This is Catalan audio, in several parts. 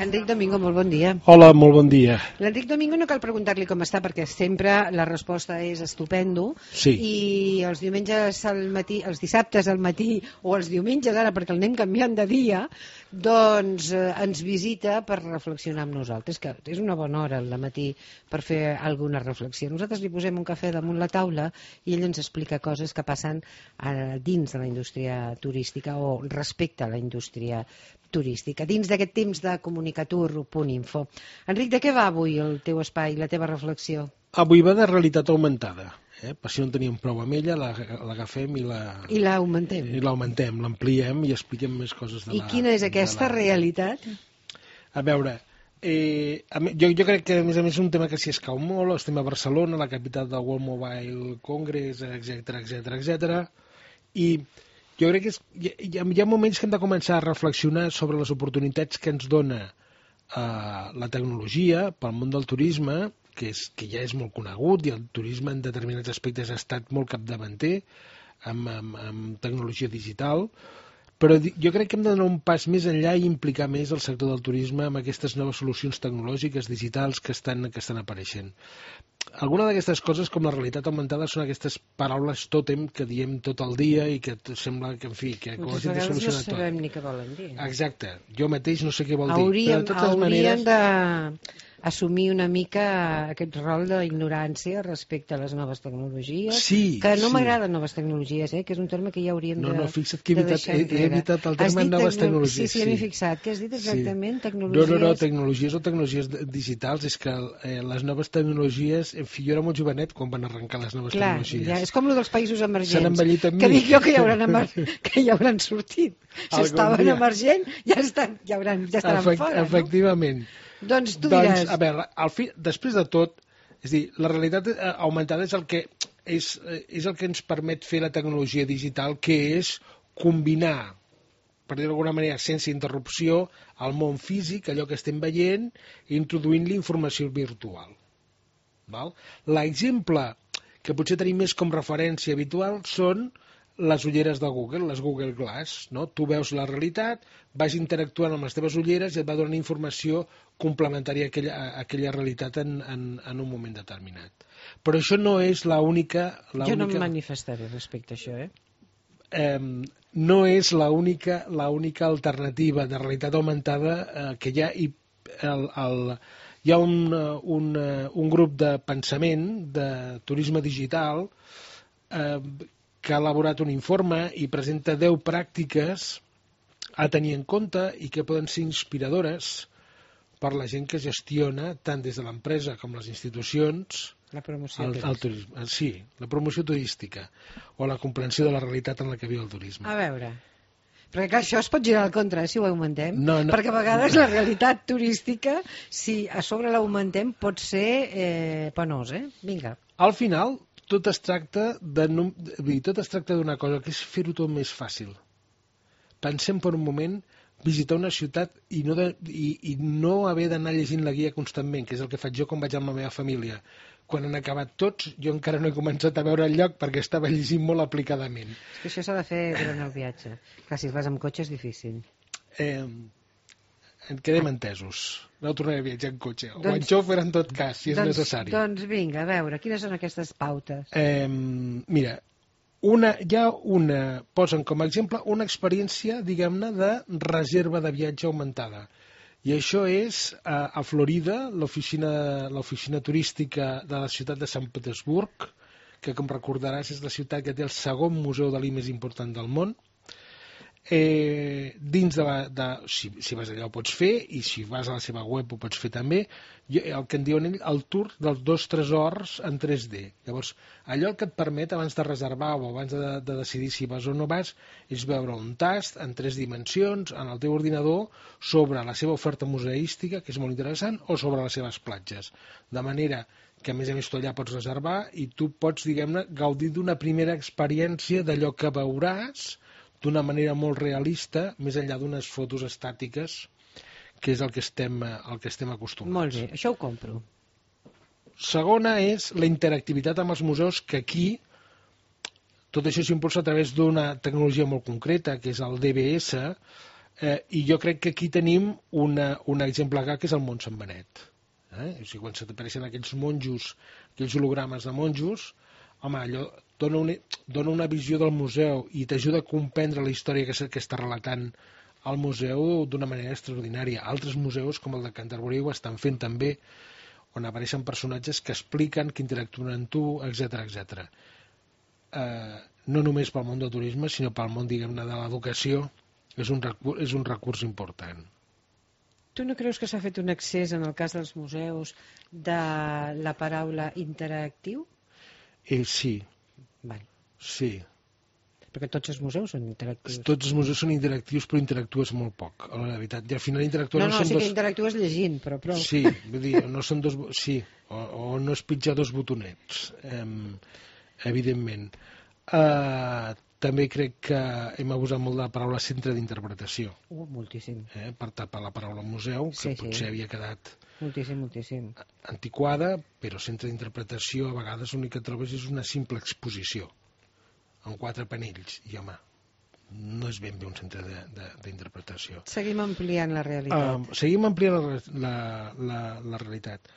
Enric Domingo, molt bon dia. Hola, molt bon dia. L'Enric Domingo no cal preguntar-li com està, perquè sempre la resposta és estupendo. Sí. I els diumenges al matí, els dissabtes al matí o els diumenges ara, perquè el anem canviant de dia, doncs ens visita per reflexionar amb nosaltres, que és una bona hora al matí per fer alguna reflexió. Nosaltres li posem un cafè damunt la taula i ell ens explica coses que passen dins de la indústria turística o respecte a la indústria turística, dins d'aquest temps de comunicatur.info. Enric, de què va avui el teu espai, la teva reflexió? Avui va de realitat augmentada. Per si no en teníem prou amb ella, l'agafem i l'augmentem. I l'augmentem, l'ampliem i expliquem més coses de la... I quina és aquesta realitat? A veure, jo crec que a més és un tema que s'hi escau molt. Estem a Barcelona, la capital del World Mobile Congress, etc. I jo crec que hi ha moments que hem de començar a reflexionar sobre les oportunitats que ens dona la tecnologia pel món del turisme, que ja és molt conegut, i el turisme en determinats aspectes ha estat molt capdavanter amb tecnologia digital, però jo crec que hem de donar un pas més enllà i implicar més el sector del turisme amb aquestes noves solucions tecnològiques digitals que estan apareixent. Alguna d'aquestes coses, com la realitat augmentada, són aquestes paraules tòtem que diem tot el dia i que sembla que, en fi, que com moltes vegades no sabem ni què volen dir. Exacte, jo mateix no sé què vol dir. Hauríem d'assumir una mica aquest rol d'ignorància respecte a les noves tecnologies, que no m'agraden noves tecnologies, que és un terme que ja hauríem de deixar enrere. No, fixa't que he evitat el terme noves tecnologies. Sí, m'he fixat. Què has dit exactament? No, tecnologies o tecnologies digitals. És que les noves tecnologies, en fi, jo era molt jovenet quan van arrencar les noves tecnologies. Clar, és com el dels països emergents. S'han envellit amb mi. Que dic jo que ja hauran sortit. Si estaven emergent, ja estaran fora. Efectivament. Doncs tu diràs... A veure, després de tot, és dir, la realitat augmentada és el que ens permet fer la tecnologia digital, que és combinar, per dir-ho d'alguna manera, sense interrupció, el món físic, allò que estem veient, introduint-li informació virtual. L'exemple que potser tenim més com referència habitual són les ulleres de Google, les Google Glass, no? Tu veus la realitat, vas interactuant amb les teves ulleres i et va donant informació complementària a aquella realitat en un moment determinat. Però això no és l'única... Jo no em manifestaré respecte a això, No és l'única alternativa de realitat augmentada que hi ha. Hi ha un grup de pensament de turisme digital que ha elaborat un informe i presenta 10 pràctiques a tenir en compte i que poden ser inspiradores per la gent que gestiona, tant des de l'empresa com les institucions, la promoció turística. Sí, la promoció turística o la comprensió de la realitat en la que viu el turisme. A veure, perquè clar, això es pot girar al contra si ho augmentem, no. Perquè a vegades la realitat turística, si a sobre l'augmentem, pot ser penós, Vinga. Al final, tot es tracta d'una cosa, que és fer-ho tot més fàcil. Pensem per un moment visitar una ciutat i no haver d'anar llegint la guia constantment, que és el que faig jo quan vaig amb la meva família. Quan han acabat tots, jo encara no he començat a veure el lloc perquè estava llegint molt aplicadament. És que això s'ha de fer durant el viatge. Clar, si vas amb cotxe és difícil. En quedem entesos. No tornaré a viatjar en cotxe. O en xofer, en tot cas, si és necessari. Doncs vinga, a veure, quines són aquestes pautes? Mira, posen com a exemple una experiència, diguem-ne, de reserva de viatge augmentada. I això és a Florida, l'oficina turística de la ciutat de Sant Petersburg, que, com recordaràs, és la ciutat que té el segon museu Dalí més important del món. Dins si vas allà ho pots fer, i si vas a la seva web ho pots fer també, el que en diuen ells el tour dels 2 tresors en 3D. Llavors, allò el que et permet abans de reservar o abans de decidir si vas o no vas és veure un tast en 3 dimensions en el teu ordinador sobre la seva oferta museística, que és molt interessant, o sobre les seves platges, de manera que a més tu allà pots reservar i tu pots, diguem-ne, gaudir d'una primera experiència d'allò que veuràs d'una manera molt realista, més enllà d'unes fotos estàtiques, que és el que estem acostumats. Molt bé, això ho compro. Segona és la interactivitat amb els museus, que aquí tot això s'impulsa a través d'una tecnologia molt concreta, que és el DBS, I jo crec que aquí tenim un exemple clar, que és el Mont Sant Benet. O sigui, quan s'apareixen aquells monjos, aquells hologrames de monjos, home, allò dona una visió del museu i t'ajuda a comprendre la història que està relatant el museu d'una manera extraordinària. Altres museus, com el de Canterbury, ho estan fent també, on apareixen personatges que expliquen, que interactuen amb tu, etc. No només pel món del turisme, sinó pel món, diguem-ne, de l'educació, és un recurs important. Tu no creus que s'ha fet un excés, en el cas dels museus, de la paraula interactiu? Sí. Vale. Sí. Perquè tots els museus són interactius. Tots els museus són interactius, però interactues molt poc, a la veritat. I al final interactues... Sí que interactues llegint, però prou. Sí, vull dir, no són dos... Sí, o no és pitjar dos botonets, evidentment. També crec que hem abusat molt de la paraula centre d'interpretació. Moltíssim. Per tapar la paraula museu, que potser havia quedat moltíssim. Antiquada, però centre d'interpretació a vegades l'únic que trobes és una simple exposició, amb 4 panells, i home, no és ben bé un centre d'interpretació. Seguim ampliant la realitat. Seguim ampliant la realitat.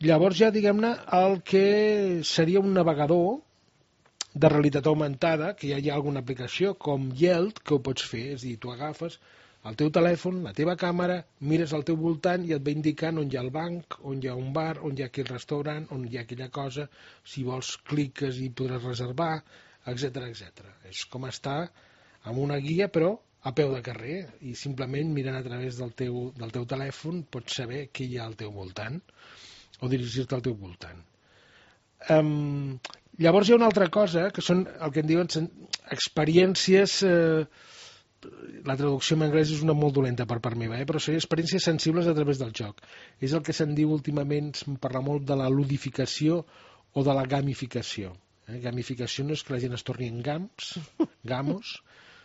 Llavors ja, diguem-ne, el que seria un navegador de realitat augmentada, que ja hi ha alguna aplicació com Yeld, que ho pots fer, és a dir, tu agafes el teu telèfon, la teva càmera, mires al teu voltant i et va indicant on hi ha el banc, on hi ha un bar, on hi ha aquell restaurant, on hi ha aquella cosa, si vols cliques i podràs reservar, etc. És com estar amb una guia, però a peu de carrer, i simplement mirant a través del teu telèfon pots saber què hi ha al teu voltant, o dirigir-te al teu voltant. Llavors hi ha una altra cosa, que són el que en diuen experiències, la traducció en anglès és una molt dolenta per part meva, però són experiències sensibles a través del joc. És el que se'n diu últimament, se'n parla molt de la ludificació o de la gamificació. Gamificació no és que la gent es torni en gamos,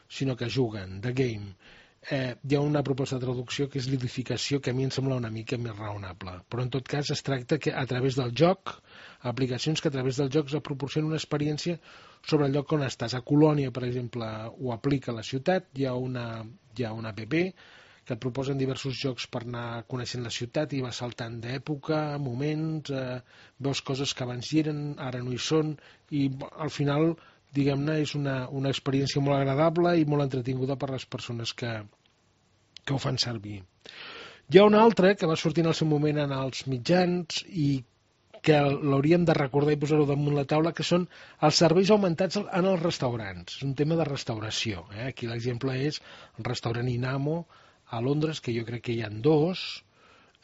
sinó que juguen, the game. Hi ha una proposta de traducció que és ludificació, que a mi em sembla una mica més raonable, però en tot cas es tracta que a través del joc, aplicacions que a través del joc es proporcionen una experiència sobre el lloc on estàs. A Colònia, per exemple, ho aplica a la ciutat, hi ha una app que et proposen diversos jocs per anar coneixent la ciutat i vas saltant d'època, moments, veus coses que abans hi eren, ara no hi són, i al final, diguem-ne, és una experiència molt agradable i molt entretinguda per les persones que ho fan servir. Hi ha una altra que va sortir en el seu moment en els mitjans i que l'hauríem de recordar i posar-ho damunt la taula, que són els serveis augmentats en els restaurants. És un tema de restauració. Aquí l'exemple és el restaurant Inamo a Londres, que jo crec que hi ha 2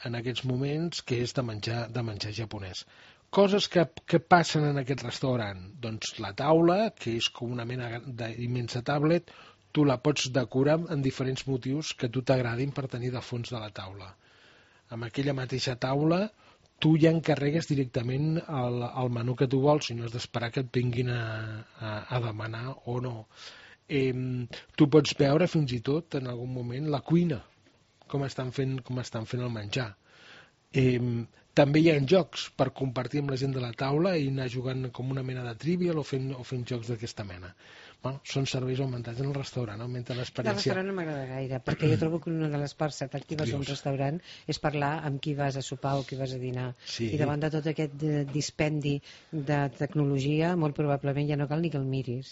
en aquests moments, que és de menjar japonès. Coses que passen en aquest restaurant. Doncs la taula, que és com una mena d'immensa tablet, tu la pots decorar amb diferents motius que a tu t'agradin per tenir de fons de la taula. Amb aquella mateixa taula tu ja encarregues directament el menú que tu vols i no has d'esperar que et vinguin a demanar o no. Tu pots veure fins i tot en algun moment la cuina, com estan fent el menjar. També hi ha jocs per compartir amb la gent de la taula i anar jugant com una mena de trivial o fent jocs d'aquesta mena. Són serveis augmentats en el restaurant, augmenta l'experiència. El restaurant no m'agrada gaire, perquè jo trobo que una de les parts atractives d'un restaurant és parlar amb qui vas a sopar o qui vas a dinar. I davant de tot aquest dispendi de tecnologia, molt probablement ja no cal ni que el miris.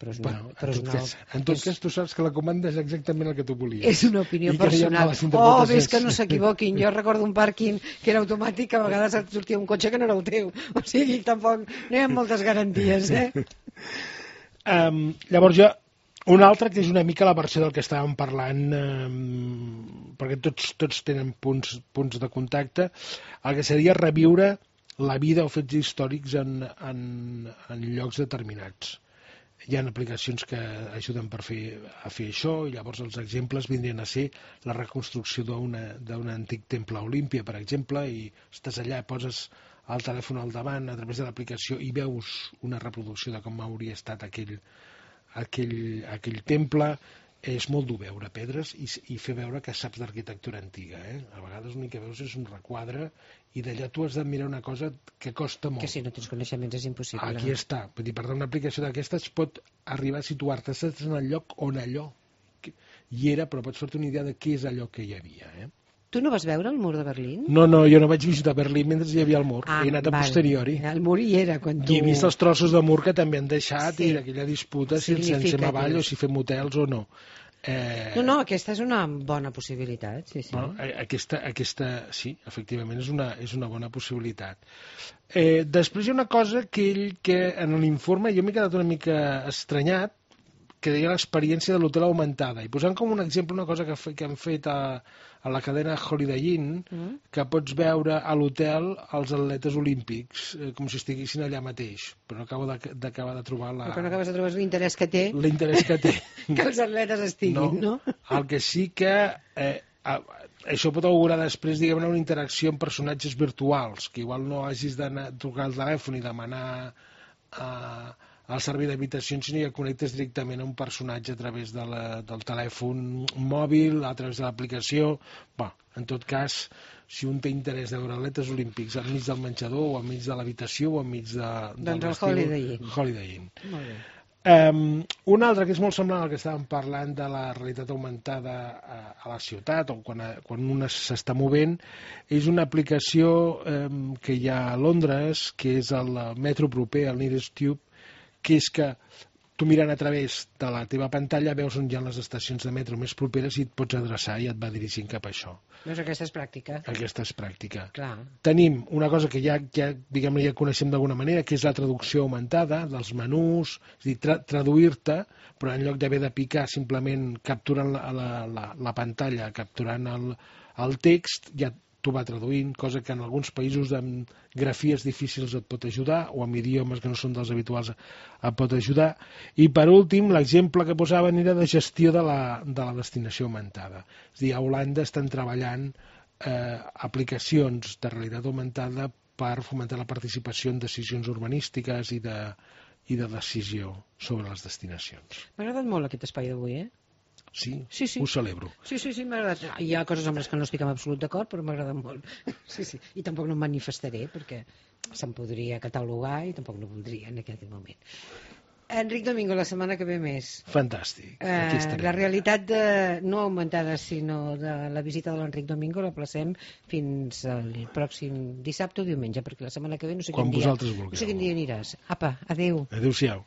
Però en tot cas tu saps que la comanda és exactament el que tu volies. És una opinió personal. Ves que no s'equivoquin. Jo recordo un pàrquing que era automàtic, a vegades et sortia un cotxe que no era el teu. O sigui, tampoc no hi ha moltes garanties, Llavors hi ha una altra que és una mica la versió del que estàvem parlant, perquè tots tenen punts de contacte, el que seria reviure la vida o fets històrics en llocs determinats. Hi ha aplicacions que ajuden a fer això, i llavors els exemples vindrien a ser la reconstrucció d'un antic temple a Olímpia, per exemple, i estàs allà, poses el telèfon al davant a través de l'aplicació i veus una reproducció de com hauria estat aquell temple. És molt dur veure pedres i fer veure que saps d'arquitectura antiga. A vegades l'únic que veus és un requadre i d'allà tu has de mirar una cosa que costa molt. Que si no tens coneixements és impossible. Aquí està. Vull dir, per tant, una aplicació d'aquestes pot arribar a situar-te en el lloc on allò hi era, però pots fer-te una idea de què és allò que hi havia. Tu no vas veure el mur de Berlín? No, jo no vaig visitar Berlín mentre hi havia el mur. He anat a posteriori. El mur hi era quan tu... I he vist els trossos de mur que també han deixat i d'aquella disputa si ens llancem avall o si fem hotels o no. No, aquesta és una bona possibilitat, sí. Bueno, aquesta sí, efectivament és una bona possibilitat. Després hi ha una cosa que en l'informe jo m'he quedat una mica estranyat, que deia l'experiència de l'hotel augmentada, i posant com un exemple una cosa que han fet a la cadena Holiday Inn, que pots veure a l'hotel els atletes olímpics, com si estiguessin allà mateix, però no acabo d'acabar de trobar Però no acabes de trobar l'interès que té. L'interès que té. Que els atletes estiguin, no? El que sí que... això pot augurar després, diguem-ne, una interacció amb personatges virtuals, que igual no hagis de trucar al telèfon i demanar al servei d'habitacions, sinó que connectes directament a un personatge a través del telèfon mòbil, a través de l'aplicació. En tot cas, si un té interès de veure atletes olímpics enmig del menjador, o enmig de l'habitació, o enmig del doncs el Holiday Inn. Molt bé. Un altre que és molt semblant al que estàvem parlant de la realitat augmentada a la ciutat o quan un s'està movent, és una aplicació que hi ha a Londres, que és el metro proper, el Nearest Tube, que és que tu mirant a través de la teva pantalla veus on hi ha les estacions de metro més properes i et pots adreçar i et va dirigint cap a això. Doncs aquesta és pràctica. Aquesta és pràctica. Clar. Tenim una cosa que ja coneixem d'alguna manera, que és la traducció augmentada dels menús, és a dir, traduir-te, però en lloc d'haver de picar simplement capturant la pantalla, capturant el text, ja t'ho va traduint, cosa que en alguns països amb grafies difícils et pot ajudar, o amb idiomes que no són dels habituals et pot ajudar. I per últim, l'exemple que posaven era de gestió de la destinació augmentada. És a dir, a Holanda estan treballant aplicacions de realitat augmentada per fomentar la participació en decisions urbanístiques i de decisió sobre les destinacions. M'ha agradat molt aquest espai d'avui, Sí, ho celebro. Sí, m'ha agradat. Hi ha coses amb les que no estic en absolut d'acord, però m'ha agradat molt. Sí. I tampoc no em manifestaré, perquè se'n podria catalogar i tampoc no voldria en aquest moment. Enric Domingo, la setmana que ve més. Fantàstic. La realitat no augmentada, sinó de la visita de l'Enric Domingo la placem fins al pròxim dissabte o diumenge, perquè la setmana que ve no sé quin dia. Quan vosaltres vulgueu. No sé quin dia aniràs. Apa, adéu. Adéu-siau.